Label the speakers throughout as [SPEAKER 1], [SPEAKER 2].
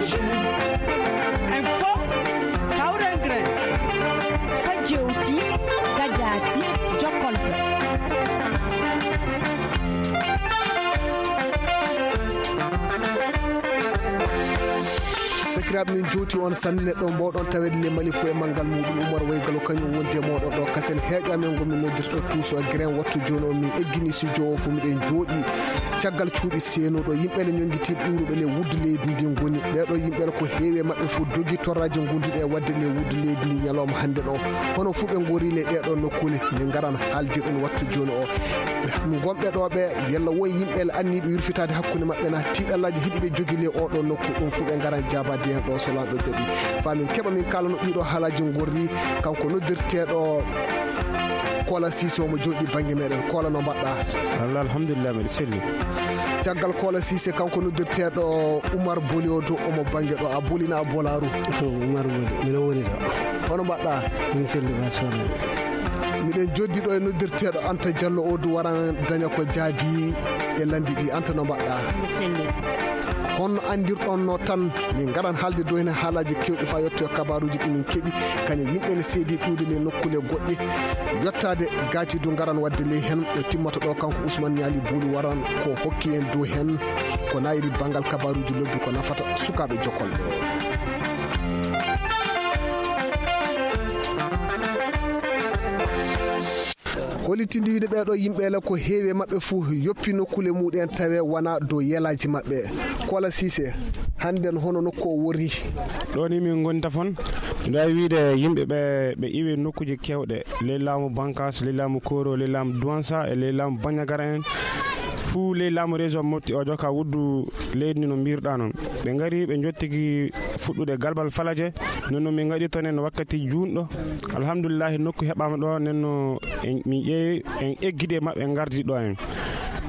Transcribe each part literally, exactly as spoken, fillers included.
[SPEAKER 1] jeune. Info Kaurengre
[SPEAKER 2] Fajouti Gajati Jokolbe.
[SPEAKER 3] sakiraɓe min jooti on sanne neɗɗo mbawɗon tawede le mali fo e manggal muɗum Oumar Waygalo kañum wonde moɗon ɗo kasen heeƴamen gomi noddirto tuuso e grain wattu joni o min eggini studio o fo miɗen jooɗi caggal cuuɗi seenoɗo yimɓele ñonguitiɓe ɓuuruɓe le wuddu leydi ndi goni ɓeɗo yimɓele ko heewi maɓɓe fof dogi torraji gonduɗe e wadde le wuddu leydi ndi ñalawma hande ɗo hono fuu ɓe gori le ɗeɗon nokkule min garan haalde ɗum wattu joni o gonɓe ɗo ɓe yalla won yimɓele anniɓe yurfitade hakkude maɓɓe na tiɗallaji heeɗi ɓe jogui le oɗo nokku ɗum fuu ɓe garan jabade hen ɗo so lamɗo jaaɓi famin keeɓa min kalano ɗiɗo haalaji gorri kanko noddirteɗo Kola Cissé omo jooɗi banggue meɗen Kola no mbaɗɗa
[SPEAKER 4] Allah alhamdulillah mbiɗa selli
[SPEAKER 3] caggal Kola Cissé kanko noddirteɗo Oumar Boli o dow omo banggue ɗo a bolina a bolaru
[SPEAKER 5] Oumar Boli mino woni ɗo
[SPEAKER 3] hono mbaɗɗa
[SPEAKER 5] min selli basfala
[SPEAKER 3] miɗen joddi ɗo e noddirteɗo Anta Diallo o du waran daña ko jaabi e landi ɗi Anta no mbaɗɗa honno andirɗon no tan min garan haalde dow hen haalaji kewɗi fa yetto e kabaruji ɗi min keeɓi kañe yimɓe ne seedi ɓiwde le nokkule goɗɗe yettade gaaci du garan wadde le hen ɗo timmata ɗo kanko Ousmane Niali Bouli waran ko hokki en dow hen ko nayri banggal kabaruji lobbi ko nafata sukaɓe jokolɓe hollitinde wiide ɓeɗo yimɓele ko heewi maɓɓe fuu yoppi nokkule muɗen tawe wona dow yelaji maɓɓe Kola Cissé hannden hono nokku o wori
[SPEAKER 4] ɗo ni min gonta fon mbiɗa wawi wiide yimɓe ɓe ɓe iwi nokkuji kewɗe ley laamu Bankas ley laamu Koro ley laamu Douansa e ley laamu Bagnagara en fuu ley laamu région Mopti o joka wuddu leydi ndi no mbirɗa noon ɓe ngari ɓe jottigi fuɗɗude galbal Falaje non noon min gaɗi toon en wakkati juunɗo alhamdoulillahi nokku heɓama ɗo nenno min ƴeewi en egguide mabɓe en gardi ɗo en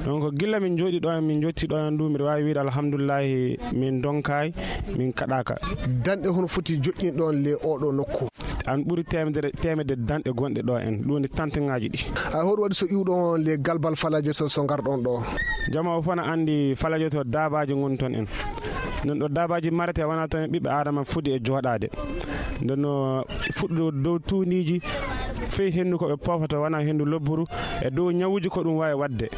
[SPEAKER 4] donc gilla min jooɗi ɗo en min jotti ɗo en du mbiɗa wawi wiide alhamdoulillahi min donkay min kaɗaka
[SPEAKER 3] danɗe hono foti joƴƴin ɗon le oɗo nokku
[SPEAKER 4] an ɓuuri temedere temedde danɗe gonɗe ɗo en ɗum woni tante ngaji ɗi
[SPEAKER 3] hay hoɗo waɗi so iwɗon le galbal Falaje to so garɗon ɗo
[SPEAKER 4] jama o fana andi Falaje to dabaji goni toon en non ɗo dabaji marete wona toon ɓiɓɓe adama fuɗi e jooɗade ndenno fuɗɗo dow tuniji fey hendu koɓe pofata wona hendu lobburu e dow ñawuji ko ɗum wawi wadde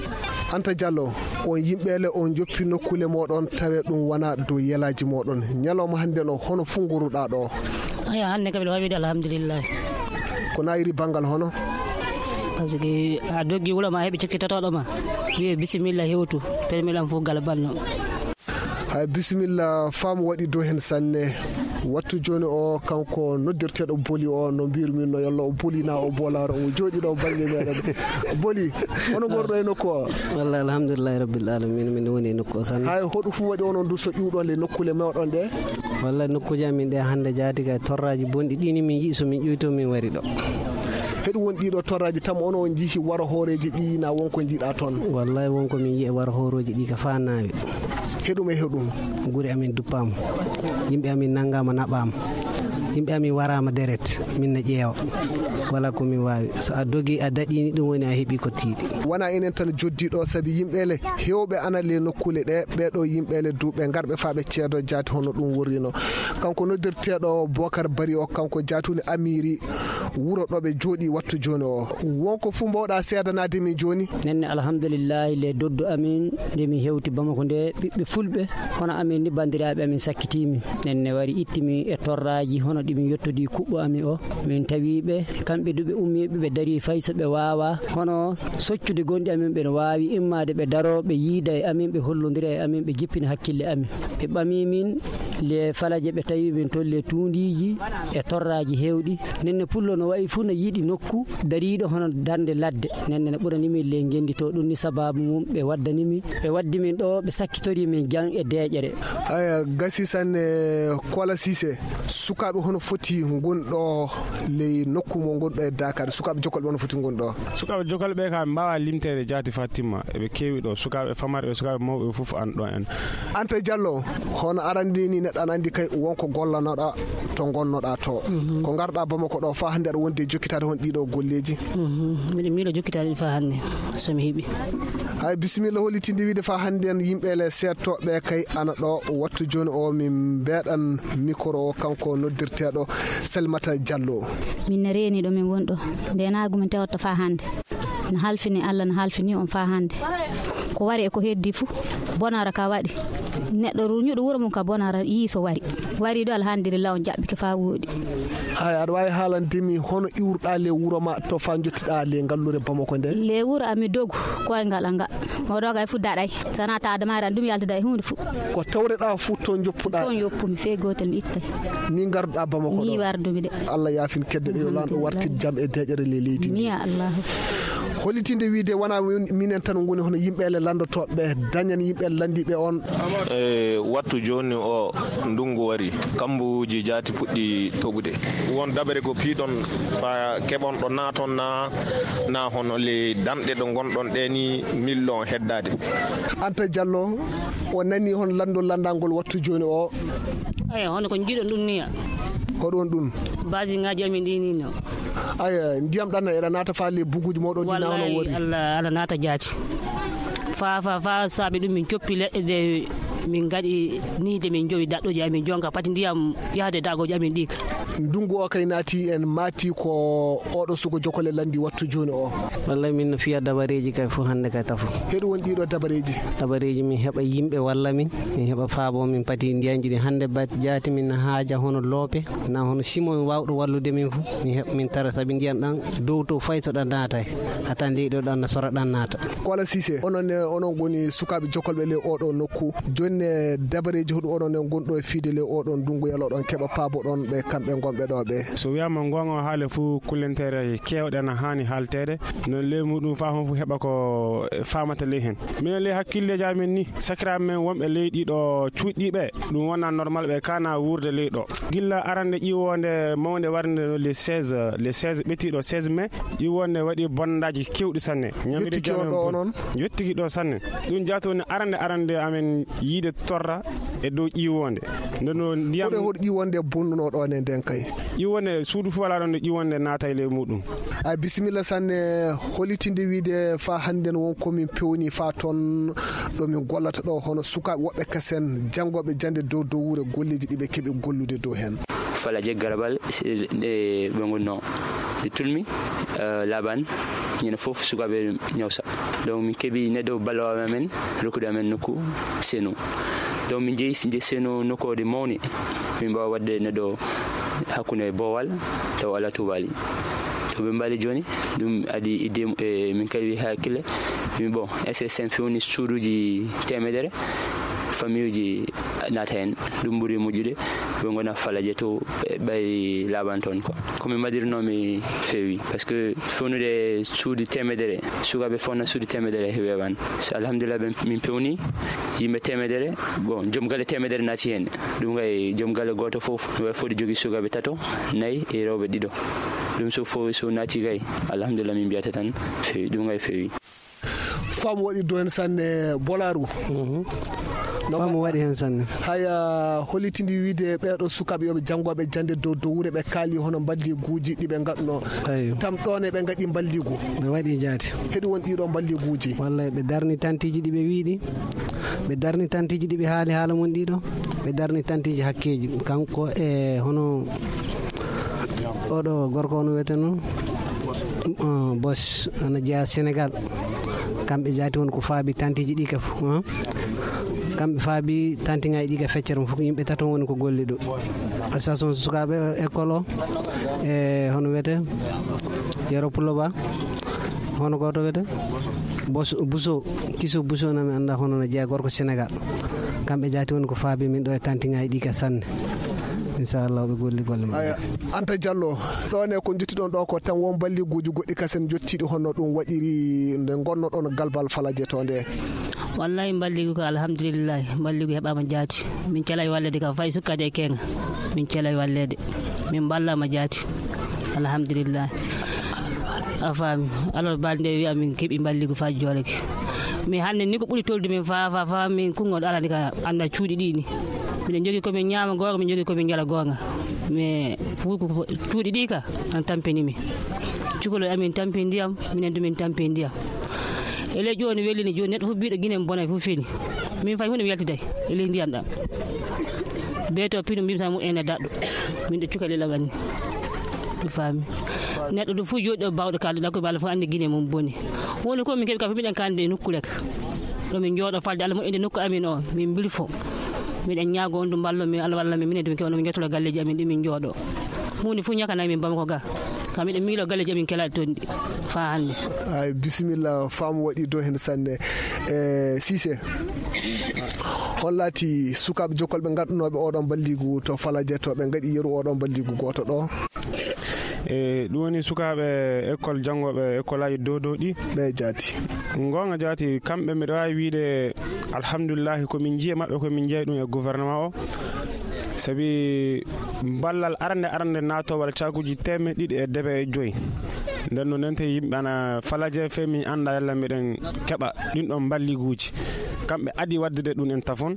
[SPEAKER 3] Anta Diallo on yimɓele on joppi nokkule moɗon tawe ɗum wona dow yelaji moɗon ñalawma hande ɗo hono fu goruɗa ɗo
[SPEAKER 6] aya hande kam wawi wiide alhamdulillah
[SPEAKER 3] ko nayiri banggal hono
[SPEAKER 6] par ce que a doggi wuuro ma heeɓi cikkitotoɗo ma wiye bisimilla hewtu permiɗam fof galbal no
[SPEAKER 3] hay bisimilla faamu waɗi dow hen sanne wattu joni o kanko noddirteɗo Boli o no mbirmin no yalla o bolina o bolaro o jooɗi ɗo banggue meɗen Boli hono gorɗo e nokku o
[SPEAKER 5] wallahi alhamdulillahi rabbil alamin min woni e nokku o sanne
[SPEAKER 3] hay hoɗo fu waɗi onon du so ƴiwɗon le nokkule mewɗon ɗe
[SPEAKER 5] wallahi nokkuji amin ɗe hande jaati kay torraji bonɗi ɗini min yii somin ƴuyto min wari ɗo
[SPEAKER 3] heɗum won ɗiɗo torraji tam ono on jiihi waro hooreji ɗi na wonko jiiɗa toon
[SPEAKER 5] wallahi wonko min yii e waro horoji ɗi ka fa nawi
[SPEAKER 3] heɗum e heɗum
[SPEAKER 5] guri amin duppama yimɓe amin nanggama naɓama yimɓe amin warama deret min na ƴeewa wala ko min wawi so a dogi a daɗini ɗum woni a heeɓi ko tiiɗi
[SPEAKER 3] wona enen tan joddiɗo saabi yimɓele hewɓe ana le nokkule ɗe ɓeɗo yimɓele duuɓe garɓe faaɓe ceedo jaati hono ɗum worrino kanko noddirteɗo Bocar Bari o kanko jatuli Amiri wuuro ɗoɓe jooɗi wattu joni o wonko fu mbawɗa seedanade min joni
[SPEAKER 6] nenne alhamdoulillahi le doddu amin nde min hewti Bamako nde ɓiɓɓe fulɓe hono amin ni bandiraɓe amin sakkitimi nenne wari ittimi e torraji hono ɗimin yettodi kuɓɓo amin o min tawiɓe kamɓe duɓe ummiɓe ɓe daari fay so ɓe wawa hono soccude gonɗi amin ɓe wawi immade ɓe daro ɓe yiida e amin ɓe hollodira e amin ɓe jippina hakkille amin ɓe ɓami min le Falaje ɓe tawi min toon le tundiji e torraji hewɗi nenne pullo no wayi fuu no yiiɗi nokku dariɗo hono darde ladde nenne ne ɓuranimi le gendito ɗum ni sababu mum ɓe waddanimi ɓe waddi min ɗo ɓe sakkitori min jang e deƴere
[SPEAKER 3] aya gasi sanne Kola Cissé sukaɓe hono foti gonɗo ley nokku mo gonɗo e Dakar sukaɓe jokolɓe hono foti gonɗo
[SPEAKER 4] sukaɓe jokolɓe ka mbawa limtere jaati fatima eɓe kewi ɗo sukaɓe famarɓe sukaɓe mawɓe fof an ɗo en.
[SPEAKER 3] Anta Diallo hono arandi ni neɗɗo an andi kay wonko gollanoɗa to gonnoɗa to ko garɗa Bamako ɗo fa hande aɗa wonde jokkitade hon ɗiɗo golleji.
[SPEAKER 7] miɗo miɗo jokkitade fa hande somi heeɓi.
[SPEAKER 3] Ay bisimilla hollitinde wiide fa hande en yimɓele settoɓe kay ana ɗo wattu joni o min beɗan micro o kanko noddirteɗo Salimata Diallo.
[SPEAKER 8] min ne reeni ɗo min wonɗo ndenagu min tewata fa hande no halfini Allah no halfini on fa hande ko wari e ko heddi fuu bonara ka waɗi neɗɗo ruñuɗo wuuro mum ka bonara yii so wari wari ɗo alhamdulillah on jaɓɓike fa woɗi.
[SPEAKER 3] Ay aɗa wawi haalandemi hono iwruɗa le wuuro ma to fa jottiɗa le ngallure Bamako nde.
[SPEAKER 8] Le wuuro ami dogu koyngal anga o doga e fu daɗay sana ta adamari an ɗum yaltida e hunde fu
[SPEAKER 3] ko tawreɗa fu to joppuɗa
[SPEAKER 8] ton yoppumi fe gotel mi ittay
[SPEAKER 3] ni garduɗa Bamako
[SPEAKER 8] ni wardumi de.
[SPEAKER 3] Allah yafin kedde ɗe lan ɗo wartid jam e deƴere le leydi
[SPEAKER 8] mi ya Allah
[SPEAKER 3] hollitinde wiide wona minen tan goni hono yimɓele landotoɓe dañan yimɓele landiɓe on
[SPEAKER 9] e wattu joni o ndungu wari kambuji jaati puɗɗi toɓude won dabere ko piiɗon fa keɓon ɗo naton na na hono le danɗe ɗo gonɗon ɗe ni million heddade.
[SPEAKER 3] Anta Diallo o nani hon lando landangol wattu joni o
[SPEAKER 7] ay hono ko jiiɗon ɗum niya
[SPEAKER 3] ko ɗon ɗum
[SPEAKER 7] basi ngaji amin ɗi ni no
[SPEAKER 3] ay ndiyam ɗan eɗa nata fa le buguji moɗon dina hono wori
[SPEAKER 7] Allah ala nata jaati fa fa fa saabi ɗum min coppi leɗɗe ɗe min gaɗi ni de min jowi daɗɗoji amin jonka pati ndiyam yahde dagoji amin ɗi
[SPEAKER 3] ndungu o kay naati en mati ko oɗo sugo jokole landi wattu joni o
[SPEAKER 5] wallay min no fiya dabareji kay fof hande kay tafu
[SPEAKER 3] heɗo won ɗiɗo dabareji
[SPEAKER 5] dabareji min heɓa yimɓe walla min min heɓa faabo min pati ndiyanji ɗi hande bat jaati min haaja hono loope na hono simo wawɗo wallude min fof min heɓa min tara saabi ndiyan ɗan dow to fay so ɗan naatay hatan leyɗo ɗan no sora ɗan naata.
[SPEAKER 3] Kola Cissé onon onon goni sukaɓe jokolɓe le oɗo nokku joni dabareji hoɗum oɗon en gonɗo e fiide le oɗon ndungu yaloɗon keɓa paabo ɗon ɓe kamɓe gonɓe ɗo ɓe
[SPEAKER 4] so wiyama gonga haale fuu kullentere kewɗe na hani haltede no ley muɗum fa hon fu heɓa ko famata ley hen minen ley hakkilleji amen ni sakiraɓe men wonɓe ley ɗiɗo cuuɗɗiɓe ɗum wona normal ɓe kana wurde ley ɗo gilla arande ƴiwonde mawde warde no les seize les seize ɓettiɗo seize mai ƴiwonde waɗi bondaji kewɗi sanne
[SPEAKER 3] yettiki ɗo onon
[SPEAKER 4] yettiki ɗo sanne ɗum jatoni arande arande amen yiide torra e dow ƴiwonde ndono ndiyam
[SPEAKER 3] hoɗo ƴiwonde bonnuno ɗon e nden kay
[SPEAKER 4] ƴiwonde suudu fof wala ɗon nde ƴiwonde naata e ley muɗum.
[SPEAKER 3] a bisimilla sanne holitinde wiide fa hande won komin pewni fa toon ɗo min gollata ɗo hono sukaɓe woɓɓe kasen janggoɓe jande dow dow wuure golleji ɗiɓe keeɓi gollude dow hen
[SPEAKER 10] falaje garabal ɗe ɓe gonno ɗe tulmi laban ñande fof sukaɓe ñawsa donc min keeɓi neɗɗo ballowo amen rokkude amen nokku seno donc min jeeyi je seno nokkode mawni min mbawa wadde neɗɗo hakkunde bowal taw ala tubali to ɓe mbaali joni ɗum adi idde e min kawi hakkille min bon S S M fewni suuduji temedere famille uji naata hen ɗum ɓuuri moƴƴude ɓe gona falaje to ɓay laaban toon quoi komin mbaɗirnomi feewi par ce que fewnude suudu temedere sukaɓe fonna suudu temedere weewan so alhamdulillah min pewni yimɓe temedere bon joom galle temedere naati hen ɗum gay joom galle goto foof ɗum way foti jogui sukaɓe tato nayyi e rewɓe ɗiɗo ɗum so fof so naati gay alhamdulillah min mbiyata tan feewi ɗum gay feewi
[SPEAKER 3] fam waɗi do hen sanne Bolaru
[SPEAKER 5] fam waɗi hen sanne
[SPEAKER 3] haya holitindi wiide ɓeɗo sukaɓe yoɓe janggoɓe jande dow dow wuure ɓe kaali hono balliguji ɗiɓe gadduno tam ɗon e ɓe gaɗi balligu
[SPEAKER 5] ɓe waɗi jaati
[SPEAKER 3] heɗi won ɗiɗo balliguji
[SPEAKER 5] wallay ɓe darni tantiji ɗiɓe wiiɗi ɓe darni tantiji ɗiɓe haali haala mon ɗiɗo ɓe darni tantiji hakkeji kanko e hono oɗo gorko ono wiyete noon Bos ana jeeya Sénégal kamɓe jaati won ko faabi tantiji ɗi ka fof kamɓe faabi tantiŋaji ɗi ka feccere mo fof yimɓe tato woni ko golli ɗo station sukaɓe école o e hono wiyete Yero Pullo Ba hono goto wiyete Bos Bousso Kiso Bousso nami anda hono no jeeya gorko Sénégal kamɓe jaati woni ko faabi min ɗo e tantiŋaji ɗi ka sanne inchallah ɓe golli golle
[SPEAKER 3] aya Anta Diallo ɗon e ko juttiɗon ɗo ko tan won balliguji goɗɗi kasen jottiɗi honno ɗum waɗiri nde gonnoɗon galbal Falaje to nde?
[SPEAKER 7] wallahi balligu ko alhamdulillah balligu heɓama jaati min calay wallede kam fay sukkade e kenga min calay wallede min ballama jaati alhamdulillah a faami alors balde wiya min keeɓi balligu fa jooleke mais hannde ni ko ɓuri tolde min fa fa fa min kungoɗo alani ka anda cuuɗi ɗi ni miɗen jogui komin ñaama gonga min jogui komin jala gonga mais fuu ko cuuɗi ɗi ka an tampinimi cukolo amin tampi ndiyam minen du min tampi ndiyam ele joni wellini joni neɗɗo fof mbiɗo guinen bona fof fini min fay hunde mi yaltiday ele ndiyam ɗam beeto pino mbimsa mum ene daɗɗo min ɗo cukalelam anni ɗo faami neɗɗo ɗum fof jooɗi ɗo bawɗo kalduɗa koye Allah fof andi guine mum boni woni ko min keeɓi ka fof miɗen kande nokkure ka ɗo min jooɗo falde Allah moƴƴinde nokku amin o min bilfo miɗen ñaago on ɗum ballo min Allah walla min minen ɗum keɓano min jettolo galleji amin ɗi min jooɗo hunde fof ñakanayi min Bamako ga kam miɗen miilo galleji amin kelaɗi toon ɗi fa hannde.
[SPEAKER 3] ay bisimilla faamu waɗi dow hen sanne e Cissé hon laati sukaɓe jokkolɓe gaddunoɓe oɗon balligu to Falaje to ɓe gaɗi yeru oɗon balligu goto ɗo
[SPEAKER 4] e ɗum woni sukaɓe école janggoɓe école aji dow dow ɗi
[SPEAKER 3] ɓe jaati
[SPEAKER 4] gonga jaati kamɓe mbiɗa wawi wiide alhamdulillahi komin jiiya mabɓe komin jeeyi ɗum e gouvernement o sabi ballal arande arande natowal cakuji teme ɗiɗi e deɓe e joyyi nden no nente yimɓe ana Falaje fe min anda yalla miɗen keɓa ɗin ɗon balliguji kamɓe adi waddude ɗum en tafon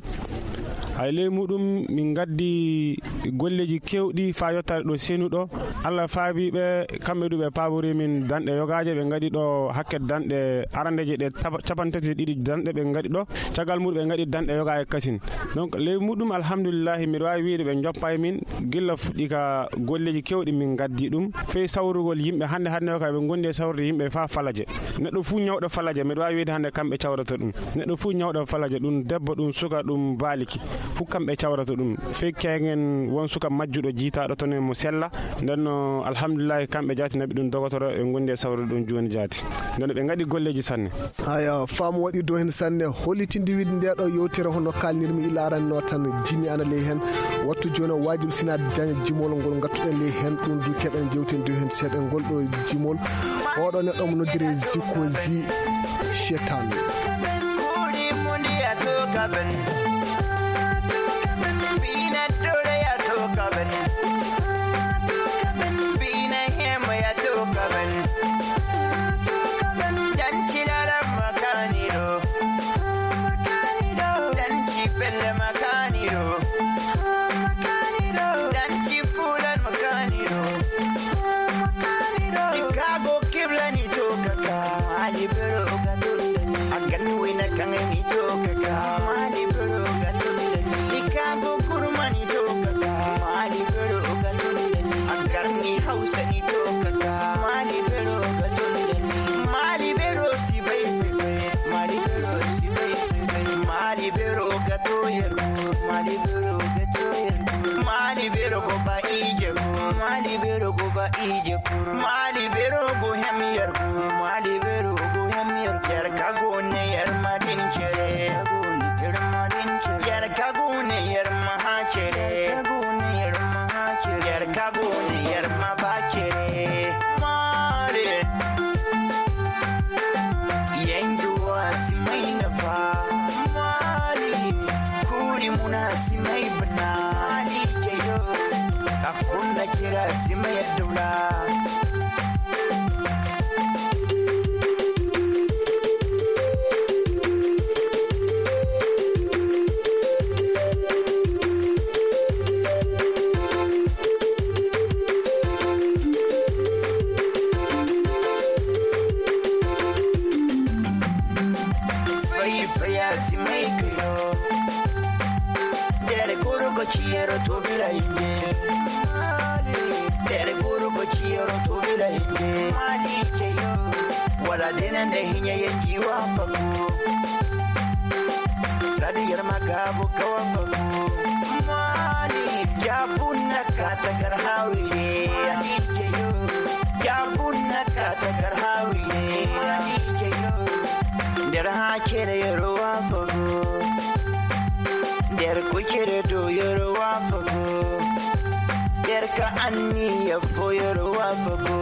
[SPEAKER 4] hay ley muɗum min gaddi golleji kewɗi fa yottade ɗo senuɗo Allah faabiɓe kamɓe ɗuɓe pabori min danɗe yogaje ɓe gaɗi ɗo hakke danɗe arandeje ɗe capantati ɗiɗi danɗe ɓe gaɗi ɗo caggal muɗum ɓe gaɗi danɗe yoga e kasin donc ley muɗum alhamdulillahi mbiɗa wawi wiide ɓe joppa e min gilla fuɗɗi ka golleji kewɗi min gaddi ɗum fey sawrugol yimɓe hande hande yoga ɓe gondi e sawrude yimɓe fa Falaje neɗɗo fu ñawɗo Falaje mbiɗa wawi wiide hande kamɓe cawrata ɗum neɗɗo fu ñawɗo Falaje ɗum debbo ɗum suka ɗum baaliki fu kamɓe cawrata ɗum fey kegen won suka majjuɗo jiitaɗo toon mo sella nden no alhamdulillahi kamɓe jaati naɓi ɗum dogotoro ɓe gondi e sawrude ɗum joni jaati nden ɓe gaɗi golleji sanne
[SPEAKER 3] aya faamu waɗi dow hen sanne hollitinde wiide nde ɗo yewtere hono kalnirmi ila aranno tan jimi ana ley hen wattu joni o wajibi sinade daña jimol ngol gattuɗen ley hen ɗum du keɓen jewten dow hen seeɗen ngol ɗo jimol oɗo neɗɗo mo noddire Zikozi Chetan
[SPEAKER 11] ije kur mali bero go hem yer go mali bero go hem yer yer ka go ne yer madin chere yer madin chere yer ka go ne yer ma ha chere ka go ne yer ma ha chere yer ka go ne yer ma ba chere mali yendu asimai na fa mali kuri munasimai bana mali keyo akunda kira simai dula fai fai simai keyo dere guru go chiero to bilainde dere guru go chiero to bilainde mali keyo wala denen de hinya yenji wa faku sadi yar magabu kawa faku mali jabunna kata gar hawire mali keyo jabunna kata gar hawire mali keyo der ha kere yero wa faku der ko kere do yero wa faku ka anni ya foyoro wafago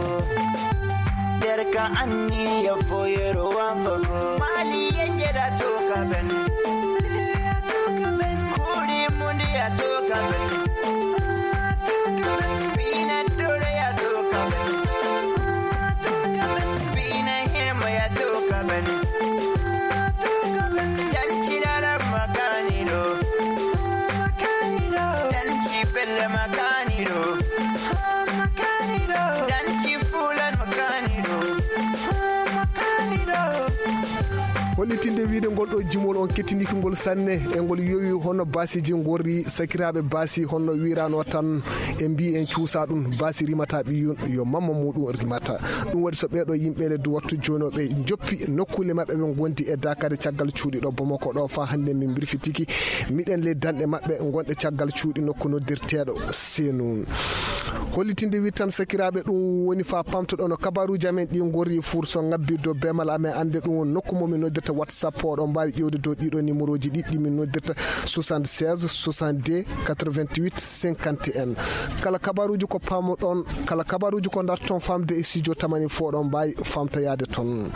[SPEAKER 11] derka anni ya foyoro wafago mali yengeda to kaben ya to kaben kuri mundi ya to kaben to kaben bina dore ya to kaben to kaben bina hema ya to kaben to kaben yanchi dara makani do makani do yanchi belle makani do makani do yanchi fulan makani do makani do.
[SPEAKER 3] hollitinde wiide ngol ɗo jimol on kettiniki ngol sanne e ngol yowi hono basiji gorri sakiraɓe basi honno wirano tan e mbi en cuusa ɗum basi rimata ɓiyun yo mamma muɗum rimata ɗum waɗi so ɓeɗo yimɓele du wattu joni ɓe joppi nokkule mabɓe ɓe gondi e dakade caggal cuuɗi ɗo Bamako ɗo fa hande min birfitiki miɗen le danɗe mabɓe gonɗe caggal cuuɗi nokku noddirteɗo Senoun. hollitinde wi tan sakiraɓe ɗum woni fa pamtoɗo no kabaruji amen ɗi gorri furso ngabbi do bemal amen ande ɗum nokku momin noddirta WhatsApp oɗon mbawi ƴewde dow ɗiɗo numéroji ɗiɗɗi min noddirta soixante-seize soixante-deux quatre-vingt-huit cinquante et un kala kabaruji ko pamoɗon kala kabaruji ko darton famde e studio tamani fo ɗon mbawi famtoyade toon.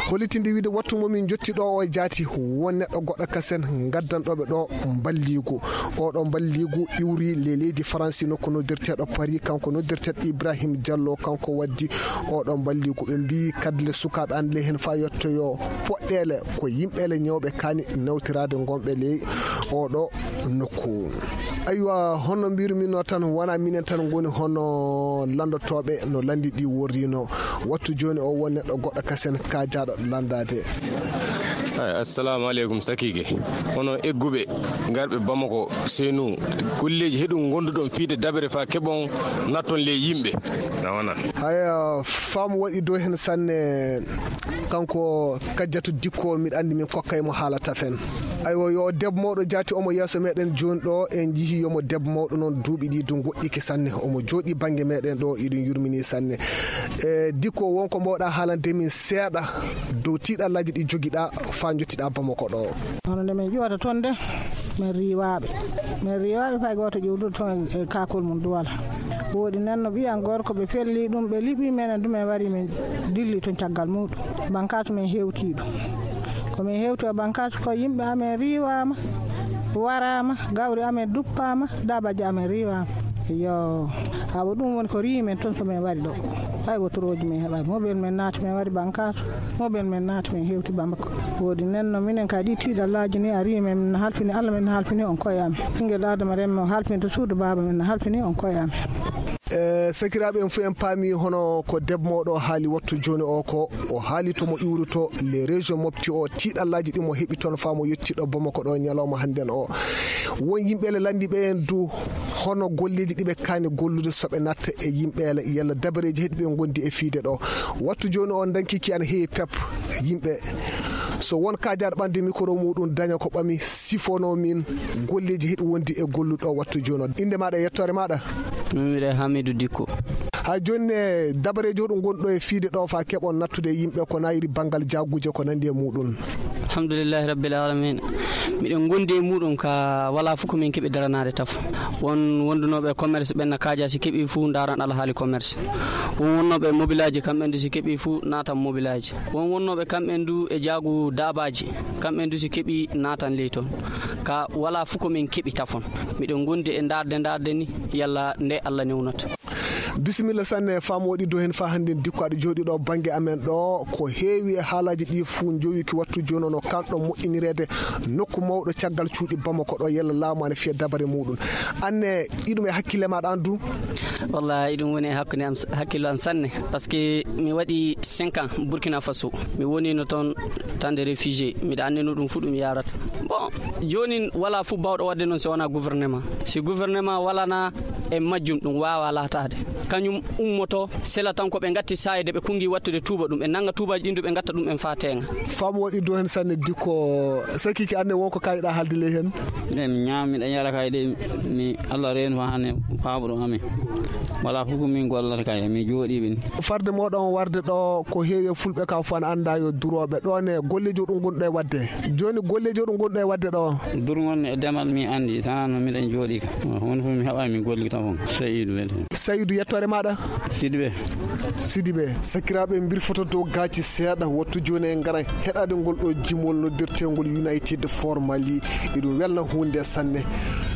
[SPEAKER 3] hollitinde wiide wattu momin jotti ɗo o jaati won neɗɗo goɗɗo kasen gaddanɗoɓe ɗo balligu oɗo balligu iwri le leydi France nokku noddirteɗo Paris kanko noddirteɗo Ibrahim Diallo kanko waddi oɗo balligu ɓe mbi kadle sukaɓe an le hen fa yettoyo poɗɗele ko yimɓele ñawɓe kani nawtirade gonɓe ley oɗo nokku. aywa honno mbirumino tan wona minen tan goni hono landotoɓe no landi ɗi worrino wattu joni o won neɗɗo goɗɗo kasen kajaɗo landade.
[SPEAKER 12] assalamu aleykum sakike hono egguɓe garɓe Bamako Senoun golleji heɗum gonduɗon fiide dabere fa keɓon natton le yimɓe nawana
[SPEAKER 3] haya faamu waɗi dow hen sanne kanko kajjatu dikko miɗa andi min kokkaymo haalata fen aywa yo debbo mawɗo jaati omo yeeso meɗen joni ɗo en jihi yomo debbo mawɗo noon duuɓi ɗi du goɗɗiki sanne omo jooɗi banggue meɗen ɗo iɗum yurmini sanne e dikko wonko mbawɗa haalande min seeɗa dow tiɗallaji ɗi joguiɗa fa jottiɗa Bamako ɗo.
[SPEAKER 13] hono nde min ƴewata toon de min riwaɓe min riwaɓe fay goto ƴewdude toon e kakol mum duwala woodi nanno ɓiyan gorko ɓe pelli ɗum ɓe liɓi menen ɗum en wari min dilli toon caggal muɗum bankatu min hewti ɗum komin hewti o bankatu ko yimɓe amen riwama warama gawri amen duppama dabaji amen riwama yo haɓa ɗum woni ko rimen toon somin waɗi ɗo hay wotoroji min heɓani moɓel men naati min waɗi bankatu moɓel men naati min hewti Bamako woodi nenno minen ka ɗi tiiɗallaji ni a rimen min halfini Allah min halfini on koyami ɓinguel Adama Remme o halfinta suudu baba min halfini on koyami.
[SPEAKER 3] e sakiraɓe en fu en paami hono ko debbo mawɗo haali wattu joni o ko o haali tomo iwruto les région mofti o tiiɗallaji ɗi mo heeɓi toon famo yettiɗo Bamako ɗo ñalawma hannden o won yimɓele landiɓe en du hono golleji ɗiɓe kani gollude soɓe natta e yimɓele yalla dabareji heɗi ɓe gondi e fiide ɗo wattu joni o dankiki an heewi pep yimɓe so won kajaɗo ɓande micro muɗum daña ko ɓami sifono min golleji heɗi wondi e golluɗo wattu joni o inde maɗa e yettore maɗa
[SPEAKER 6] mimire Hamidou Dikko.
[SPEAKER 3] ha joni e dabareji hoɗum gonɗo e fiide ɗo fa keɓon nattude yimɓe ko nayiri banggal jagguje ko nandi e muɗum.
[SPEAKER 6] alhamdulillahi rabbil alamin miɗen gondi e muɗum ka wala fof komin keeɓi daranade taf won wondunoɓe commerce ɓenna kaja si keeɓi fou daran alhaali commerce won wonnoɓe mobilaji kamɓen du si keeɓi fou natan mobilaji won wonnoɓe kamɓen du e jaagu dabaji kamɓen du si keeɓi natan ley toon ka wala fof komin keeɓi tafon miɗen gondi e darde darde ni yalla nde Allah newnata.
[SPEAKER 3] bisimilla sanne famo waɗi dow hen fa hande dikko aɗa jooɗi ɗo banggue amen ɗo ko heewi e haalaji ɗi fuu jowiki wattu joni ono kanɗo moƴƴinirede nokku mawɗo caggal cuuɗi Bamako ɗo yalla laamu ane fiya dabare muɗum anne ɗiɗum e hakkille maɗa andu
[SPEAKER 6] wallahi ɗum woni e hakkude am hakkille am sanne par ce que mi waɗi cinq ans Burkina Faso mi wonino toon tande réfugié miɗa andino ɗum fuu ɗum yarata bon joni wala fuu bawɗo wadde noon so wona gouvernement si gouvernement walana e majjum ɗum wawa latade kañum ummoto sela tan ko ɓe gatti sayde ɓe kungi wattude tuuba ɗum ɓe nanga tuubaji ɗin du ɓe gatta ɗum en fa tenga
[SPEAKER 3] faamu waɗi dow hen sanne dikko sakiki anne wonko kayiɗa haalde ley hen
[SPEAKER 14] minen mi ñaam miɗa yara kayɗe mi Allah reenu fa hane paaɓuɗo amen wala fof min gollata kay mi jooɗiɓe ni.
[SPEAKER 3] farde moɗon warde ɗo ko heewi fulɓe ka fo an anda yo duroɓe ɗon e golleji ɗum gonɗo e wadde joni golleji ɗum gonɗo e wadde ɗo
[SPEAKER 14] durgol e demal mi andi tan no miɗen jooɗi ka won fof mi heɓa mi golli tan fon Saydou welde
[SPEAKER 3] Saydou yettore maɗa
[SPEAKER 14] Sidibé
[SPEAKER 3] Sidibé sakiraɓe birfoto dow gaci seeɗa wattu joni e garan heɗade ngol ɗo jimol noddirtegol United for Mali eɗum welna hunde sanne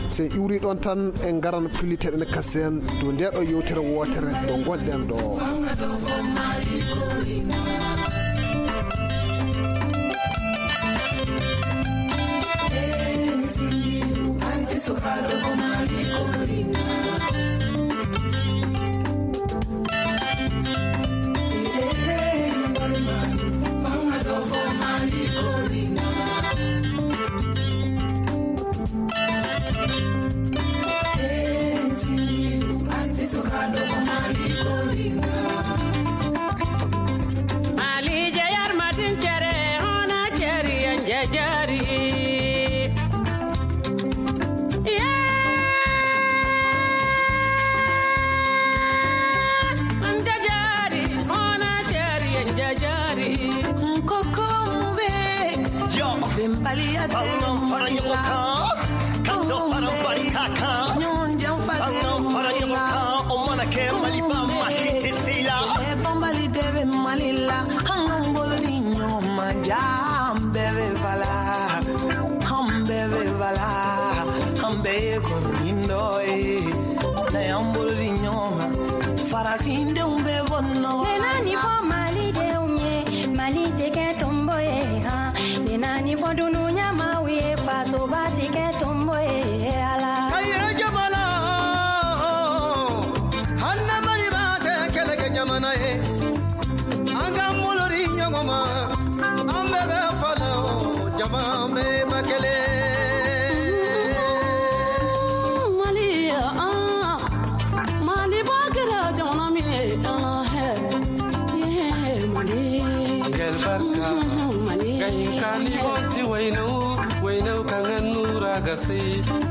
[SPEAKER 3] sen iwri ɗon tan en garan piliteɗen kasen dow ndeɗo yewtere wotere ɗo gonɗen ɗo.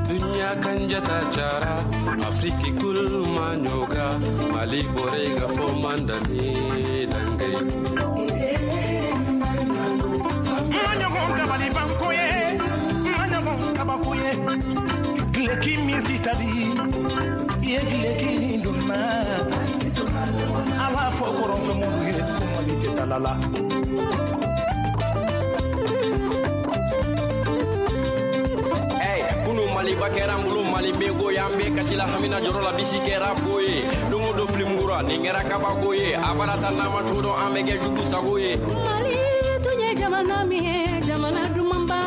[SPEAKER 15] Dunya kan jata cara Afriki kul manyoga Mali borega fo mandani dangai
[SPEAKER 16] Manyogon kabali bankoye Manyogon kabakoye Gleki minti tabi Ye gleki ninduma Awa fo koron fe monu ye Kumali te talala
[SPEAKER 17] Mali bakera mbulu Mali bego yambe kasila hamina jorola bisikera boye dungu do flimgura ningera kabagoye abarata nama todo ambege jugu sagoye
[SPEAKER 18] Mali tunye jamana mi jamana dumamba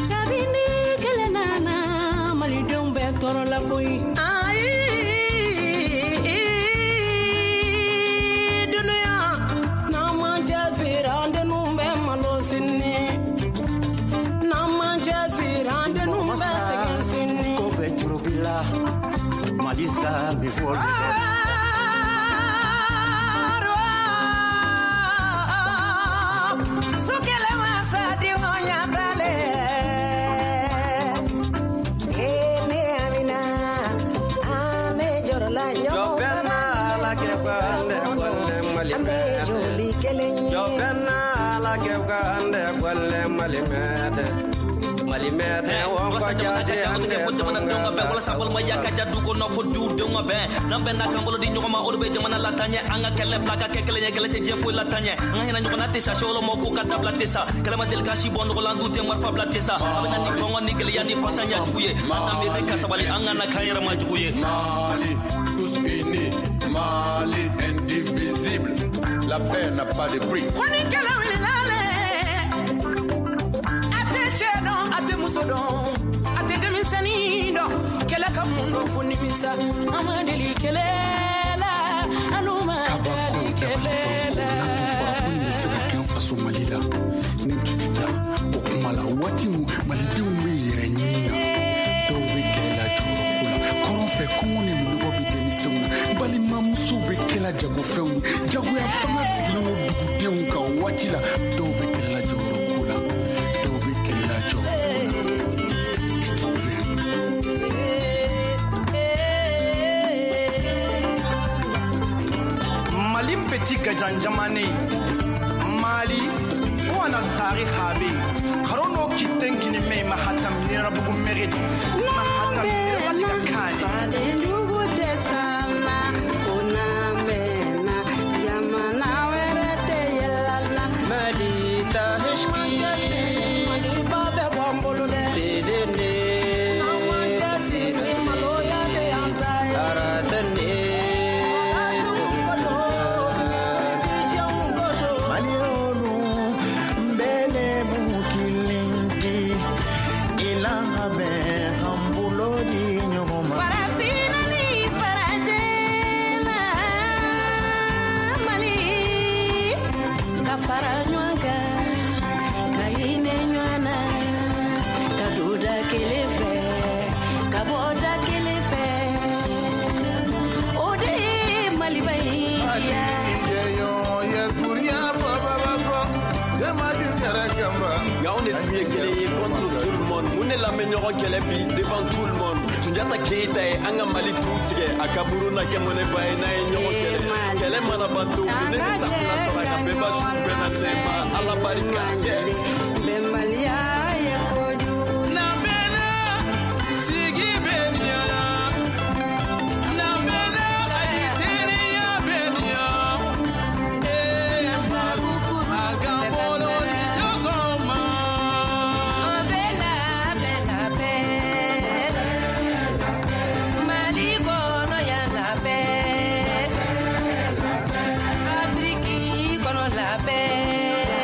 [SPEAKER 18] kabini kelenana Mali dombe torola boy
[SPEAKER 11] Malisa before
[SPEAKER 18] Sukele masa di monya bale Ene amina ame jorola nyomo
[SPEAKER 17] Jopena la ke kwande kwale malime
[SPEAKER 18] joli kelenye
[SPEAKER 17] Jopena la ke kwande kwale malimede malimede won ko jaje ande ko jamana donga be wala sabal ma yakka jaddu ko no foddu donga be nambe na kambolo di nyoma orbe jamana la tanye anga kele plaka ke kele kele te jefo la tanye anga hina nyoma te sa sholo mo ko kadab la tesa kele ma del kashi bondo ko landu te mar fabla tesa abana ni kongo ni gele yani patanya tuye anga me be kasabali anga na kayra ma juye
[SPEAKER 19] Mali tous unis Mali indivisible la paix n'a pas de prix
[SPEAKER 18] Koni kele wilale Cheno ate musodon ate demisanido kela kamundo funimisa amadeli kelela anuma dali kelela
[SPEAKER 20] sika kan faso malila ni tutita o kumala wati mu malidenw bɛ yɛrɛ ɲini na dɔw bɛ kɛlɛla jɔyɔrɔ ko la kɔrɔn fɛ kɔngɔ ni minɔgɔ bɛ denmisɛnw na balimamusow bɛ kɛla jagofɛnw ye jagoya fanga sigilen do dugudenw kan waati la dɔw bɛ kɛlɛla jɔyɔrɔ ko la dɔw bɛ kɛlɛla jɔyɔrɔ ko la
[SPEAKER 16] tika janjamane mali wana sari habe harono kitten kini me mahatam nira bugu meredi mahatam nira baliga kani
[SPEAKER 18] ndugu tesana una mena jamana werete yelana
[SPEAKER 17] malita heshki
[SPEAKER 18] mali babe bombolo de
[SPEAKER 17] dedene
[SPEAKER 18] amanja siri maloya de antai
[SPEAKER 17] aratane
[SPEAKER 16] malionu mbele mukilinti ila habe hambulodi nyoma
[SPEAKER 18] farafina ni farajela mali kafaranywaga kaine nywana kaduda kelefe kaboda kelefe ode mali bai
[SPEAKER 21] on est tué contre tout le monde. On est la meilleure qu'elle est devant tout le monde. Sunjata Keita et Anga Mali Toutre, Akaburu Nakemone Baena et Nyon Kele. Kele Manabato, Nene Tapula Soraka Beba Shubena Tema, Alabarika.
[SPEAKER 18] Bemalia Yakodu.
[SPEAKER 21] Namena, Sigi Benya. Namena, Aiteria Benya. Eh, Maruku, Agambolo, Yogoma.
[SPEAKER 18] Bella, bella, bella. Maligo, no ya la bella. Afriki, kono la bella.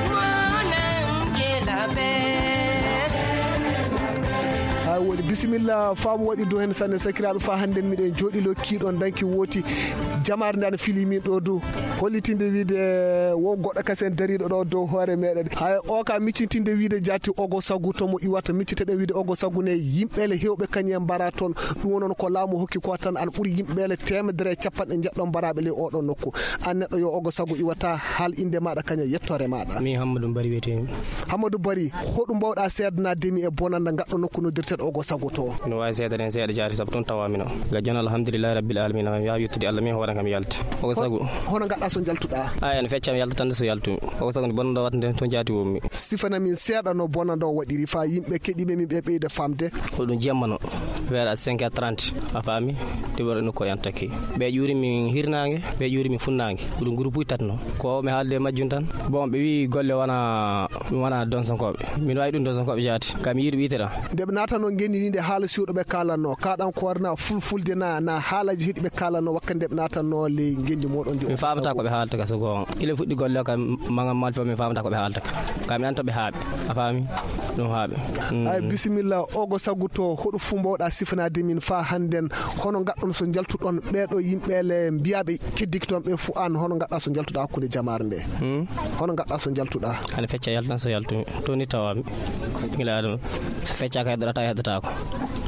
[SPEAKER 18] Monan ke la bella.
[SPEAKER 3] hay woni bisimilla faamu waɗi do hen sanne sakiraɓe fa hande miɗen jooɗi lokkiɗon danki wooti jamare nde ana fili min ɗo dow hollitinde wiide wo goɗɗo kasen dariɗo ɗo dow hoore meɗen hay o ka miccitinde wiide jatti ogo sagu tomo iwata micciteɗe wiide ogo sagu ne yimɓeele hewɓe kañum mbara toon ɗum noon ko laamu hokki ko tan ana ɓuuri yimɓeele temedere capanɗe jeɗɗon mbaraɓe ley oɗon nokku an neɗɗo yo ogo sagu iwata haal inde maɗa kañum yettore maɗa.
[SPEAKER 22] mi Hammadou Bari wiyetemi.
[SPEAKER 3] Hammadou Bari hoɗum mbawɗa seedanademi e bonande gaɗɗo nokku noddirteɗo ogo sagu to.
[SPEAKER 22] no wawi seedade hen seeɗa jaati saabu toon tawamino ga jon alhamdulillahi rabbil alamina mi yawi yettude Allah min hoore kam yalta ogo sagu
[SPEAKER 3] hono gaɗɗa so jaltuɗa
[SPEAKER 22] a ene feccam yaltatande so yaltumi ogo sagu nde bonnaɗo watta nde toon jaati wommi
[SPEAKER 3] sifanamin seeɗa no bonande o waɗiri fa yimɓe keɗiɓe min ɓe ɓeyde famde
[SPEAKER 22] ko ɗum jemmano weeɗa cinq heures trente a faami ɗiɓoɗo nokku yan takki ɓe ƴuurimi hirnangue ɓe ƴuurimi funnangue ko ɗum groupe uji tati no ko mi haalde majjum tan bon ɓe wi golle wona ɗum wona donsankoɓe min wawi ɗum donsankoɓe jaati kam yiiɗo ɓitera
[SPEAKER 3] ndeɓe natano gendinide haala siwɗoɓe kalanno kaɗan ko warna fulfulde na na haalaji heɗi ɓe kalanno wakka ndeɓe natanno ley gendi moɗon ndi
[SPEAKER 22] mi famata koɓe haalta ka so gon ila fuɗɗi golle o kam magam malfo mi famata koɓe haalta ka kam mi antoɓe haaɓe a faami ɗum haaɓe
[SPEAKER 3] ay bisimilla ogo sagu to hoɗo fu mbawɗa sifanade min fa hannden hono gaɗɗon so jaltuɗon ɓeɗo yimɓele mbiyaɓe keddiki toon ɓe fu an hono gaɗɗa so jaltuɗa hakkude jamare nde hono gaɗɗa so jaltuɗa
[SPEAKER 22] ane fecca yaltan so yaltumi to ni tawami ila adama so feccaka heɗɗata heɗɗatako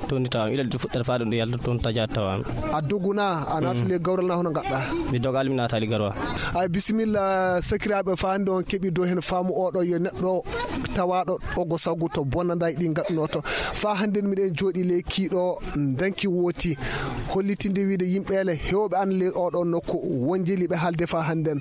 [SPEAKER 22] to ni tawami ila fuɗɗata fa ɗum ɗo yalta toon tajat tawami
[SPEAKER 3] a doguna a natule gawral na hono gaɗɗa
[SPEAKER 22] mi dogali mi natali garwa
[SPEAKER 3] ay bisimilla sakiraɓe fa hande on keeɓi dow hen faamu oɗo yo neɗɗo tawaɗo ogo sagu to bonnada e ɗi gaɗɗunoto fa hande miɗen jooɗi ley kiiɗo danki wooti hollitinde wiide yimɓele hewɓe an ley oɗon nokku won jeeliɓe haalde fa hannden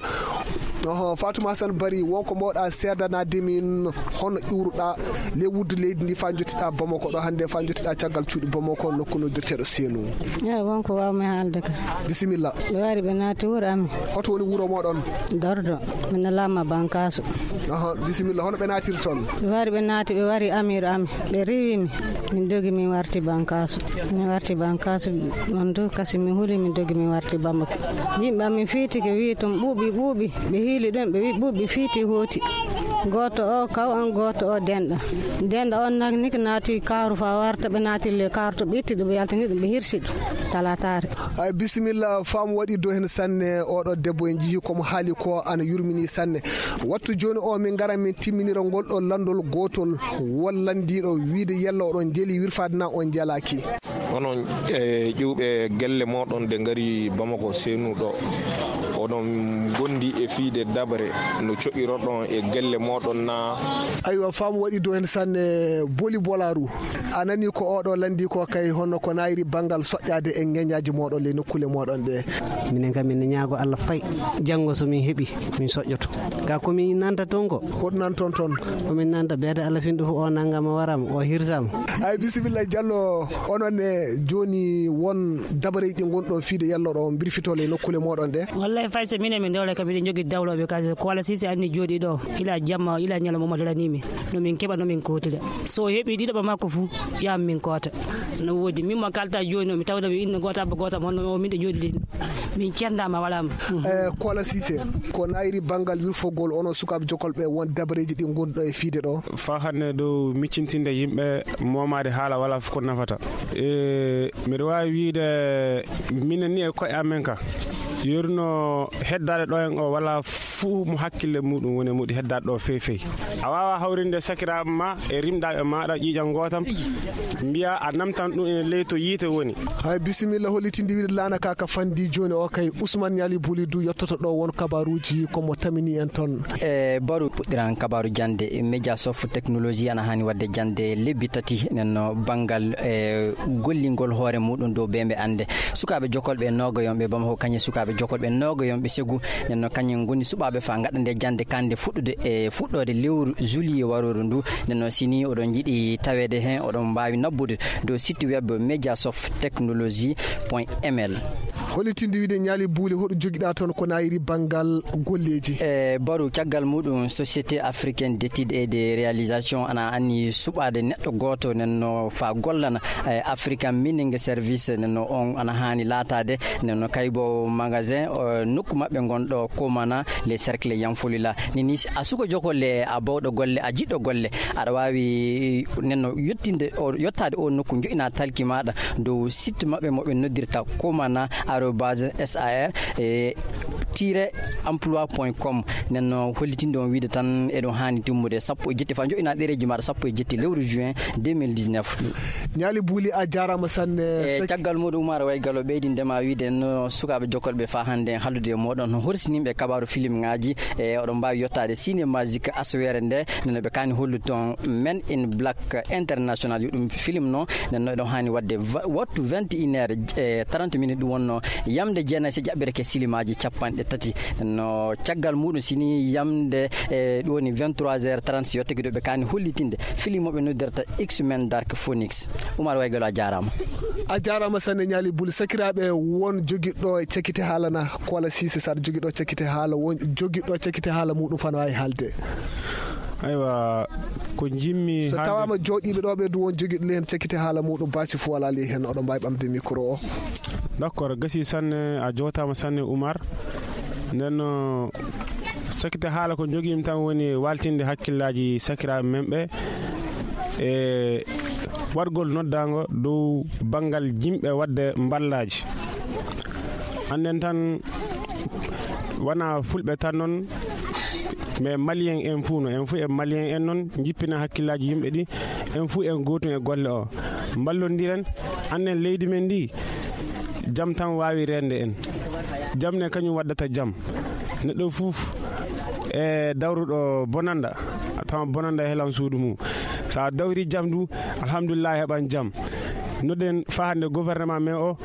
[SPEAKER 3] oho Fatouma Hassane Bari wonko mbawɗa seedanade min hono iwruɗa ley wuddu leydi ndi fa jottiɗa Bamako ɗo hande fa jottiɗa caggal cuuɗi Bamako nokku noddirteɗo Sénou
[SPEAKER 23] eyi wonko wawmi haalde ka
[SPEAKER 3] bisimilla
[SPEAKER 23] ɓe wari ɓe naati wuuro amin
[SPEAKER 3] hoto woni wuuro moɗon
[SPEAKER 23] dordo min lamma bankaso
[SPEAKER 3] aha bisimilla hono ɓe naatiri toon
[SPEAKER 23] ɓe wari ɓe naati ɓe wari amiro amin ɓe riwimi min dogi min warti bankaso min warti bankaso on to kasi mi huuli min dogi min warti Bamako yimɓe amin fiitike wi ton ɓuuɓi ɓuuɓi ɓe hiili ɗon ɓe wi ɓuuɓi fiiti hooti goto o kaw an goto o denɗa denɗa on nak niki naati kawru fa warta ɓe naati le kawru to ɓe itti ɗum ɓe yaltini ɗum ɓe hirsi ɗum talatare
[SPEAKER 3] ay bisimilla faamu waɗi do hen sanne oɗo debbo en jii komo haali ko ana yurmini sanne wattu joni o min gara min timminira ngol ɗo landol gotol wallandiɗo wiide yella oɗon jeeli wirfade na on jalaki
[SPEAKER 9] onon e ƴiwɓe gelle moɗon de ngari Bamako Sénou ɗo oɗon gondi e fiide dabre no coƴiroɗon e gelle moɗon na.
[SPEAKER 3] aywa faamu waɗi dow hen sanne boli bolaru a nani ko oɗo landi ko kay honno ko nayri banggal soƴƴade e ŋeñaji moɗon le nokkule moɗon ɗe.
[SPEAKER 5] minen kam min ñaago Allah fayi janngo somin heeɓi min soƴƴoto ga komin nanta toon ko
[SPEAKER 3] hoɗum nan toon toon
[SPEAKER 5] komin nanta beede Allah finɗo fof o nanggama warama o hirsama.
[SPEAKER 3] ay bisimilla Diallo onon e joni won dabareji ɗi gonɗon fiide yalloɗo birfitole nokkule moɗon ɗe.
[SPEAKER 7] wallahi fay so minen min dewle kam miɗen jogui dawloɓe kasi ko Wala Sise anni jooɗi ɗo ila jamma ila ñalawma mo dalanimi nomin keɓa nomin kotira so heeɓi ɗiɗoɓa makko fou yam min kota no woodi mimma kalta joni o mi tawda mi inno gota ba gota honno o min ɗe jooɗi ɗin min cendama walama.
[SPEAKER 3] e ko Wala Sise ko nayri banggal wirfogol onon sukaɓe jokolɓe won dabareji ɗi gonɗo e fiide ɗo
[SPEAKER 4] fa hande dow miccintinde yimɓe momade haala wala ko nafata. e mbiɗa wawi wiide minen ni e koye amen ka yorno heddade ɗo en o wala fuu mo hakkille muɗum woni muɗi heddade ɗo fewi fewi a wawa hawrinde sakiraɓe ma e rimɗaɓe maɗa ƴiƴam gotam mbiya a namtan ɗum ene ley to yiite woni.
[SPEAKER 3] hay bisimilla hollitinde wiide lana ka ka fandi joni o kay Ousmane Niali Boulidou yettoto ɗo won kabaruji komo tamini en toon.
[SPEAKER 1] e baru puɗɗiran kabaru jande média soft technologie ana hani wadde jande lebbi tati nenno banggal e gollingol hoore muɗum dow bembe ande sukaɓe jokolɓe nogoyonɓe bamako kañe sukaɓe jokolɓe nogoyonɓe segu nenno kañen goni suɓaɓe fa gaɗa nde jande kande fuɗɗude e fuɗɗode lewru juillet waroru ndu nenno sini oɗon jiiɗi tawede hen oɗon mbawi nabbude dow site web média soft technologie point m l.
[SPEAKER 3] hollitinde wiide Niali Bouli hoɗo joguiɗa toon ko nayri banggal golleji.
[SPEAKER 1] e baru caggal muɗum société africaine d'étude et de réalisation ana anni suɓade neɗɗo goto nenno fa gollana e african mining service nenno on ana hani latade nenno kaybo magasin nokku mabɓe gonɗo komana les cercles yanfolila nini a suko jokolle a bawɗo golle a jiɗɗo golle aɗa wawi nenno yettinde o yettade o nokku joƴina talki maɗa dow site mabɓe moɓe noddirta komana arobase sar e tire emploi point com nenno hollitinde on wiide tan eɗon hani timmude sappo e jetti fa joƴina ɗereji maɗa sappo e jetti lewru juin deux mille dix-neuf.
[SPEAKER 3] Niali Bouli a jarama sanne
[SPEAKER 1] e caggal muɗum umara way gallo ɓeydindema wiide no sukaɓe jokolɓe fa hande hallude e moɗon horsinimɓe kabaru film ngaji e oɗon mbawi yettade cinémagique aswere nde nenno ɓe kani hollude toon men in black international yo ɗum film noon nenno eɗon hani wadde wattu vingt et une heure e trente minutes ɗum wonno yamde jeenayi so jaɓɓere ke silimaji capanɗe tati no caggal muɗum sini yamde e ɗum woni vingt-trois heures trente so yettake ɗo ɓe kani hollitinde film moɓe noddirta X-Men Dark Phoenix. Oumar Waygalo a jarama
[SPEAKER 3] a jarama sanne Niali Bouli sakiraɓe won joguiɗo cekkite haalana ko Wala Sise saɗa joguiɗo cekkite haala won joguiɗo cekkite haala muɗum fana wawi haalde.
[SPEAKER 4] aywa ko jimmi
[SPEAKER 3] so tawama joɗiɓe ɗo ɓe du won joguiɗo le hen cekkite haala muɗum basi fo wala li hen oɗon mbawi ɓamde micro o.
[SPEAKER 4] d' accord gasi sanne a jotama sanne Oumar nden cekkite haala ko joguimi tan woni waltinde hakkillaji sakiraɓe men ɓe e wargol noddago dow banggal jimɓe wadde ballaji anden tan wona fulɓe tan noon mais malien en fuu no en fuu e malien en noon jippina hakkillaji yimɓe ɗi en fuu en gotum e golle o ballodiren annen leydi men ndi jam tan wawi rende en jamne kañum waddata jam neɗɗo fof e dawruɗo bonanda tawa bonanda helan suudu mum sa dawri jam du alhamdulillah heɓan jam noden fa hande gouvernement men o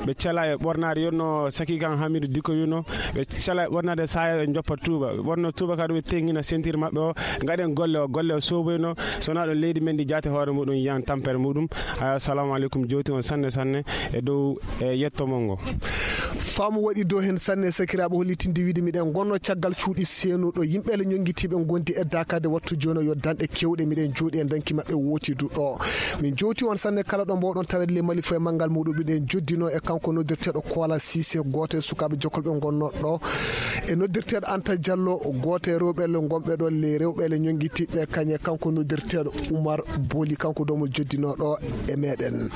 [SPEAKER 4] ɓe cala e ɓornade yonno saki kan Hamidou Dicko wino ɓe cala e ɓornade saya ɓe joppa tuuba wonno tuuba ka ɗum ɓe tengina ceinture mabɓe o gaɗen golle o golle o soboyno sowona ɗo leydi men ndi jaate hoore muɗum yiyan tampere muɗum. assalamu aleykum jowti on sanne sanne e dow e yettomol ngo
[SPEAKER 3] faamu waɗi dow hen sanne sakiraɓe hollitinde wiide miɗen gonno caggal cuuɗi seenoɗo yimɓele ñonguitiɓe gondi e dakade wattu joni o yo danɗe kewɗe miɗen jooɗi e danki mabɓe wotidu ɗo min jowti on sanne kala ɗo mbawɗon tawede le mali fo e manggal muɗum miɗen joddino e kanko noddirteɗo ko Wala Sise goto e sukaɓe jokolɓe gonnoɗo ɗo e noddirteɗo Anta Diallo goto e rewɓele gonɓe ɗo le rewɓele ñonguitiɓe kañe kanko noddirteɗo Oumar Bouli kanko domo joddinoɗo e meɗen.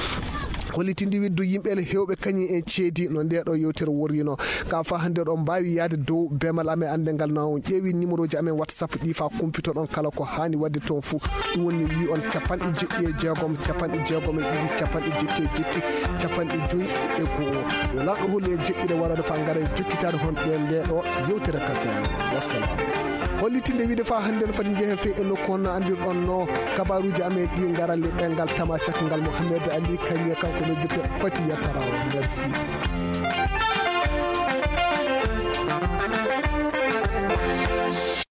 [SPEAKER 3] hollitindi widdu yimɓe hewɓe kañi en ceedi no nde ɗo yewtere worrino ka fa hande ɗon mbawi yaade dow bemal amen andengal na on ƴeewi numéro ji amen whatsapp ɗi fa kumpito ɗon kala ko hani wadde toon fou ɗum woni mi wi on capanɗe jeɗɗi e jeegom capanɗe jeegom e ɗiɗi capanɗe jetti e jetti capanɗe joyyi e goho yo lamɗo holli en jeɗɗiɗe warade fa gara e jokkitade hon ɗen nde ɗo yewtere kasen wassalam hollitinde wiide fa hande no fati jeehe fe e nokku on no andirɗon no kabaruji amen ɗi garalle ɗengal tamasek ngal Mouhamed Ali kañe kanko noddirte fati yattara merci.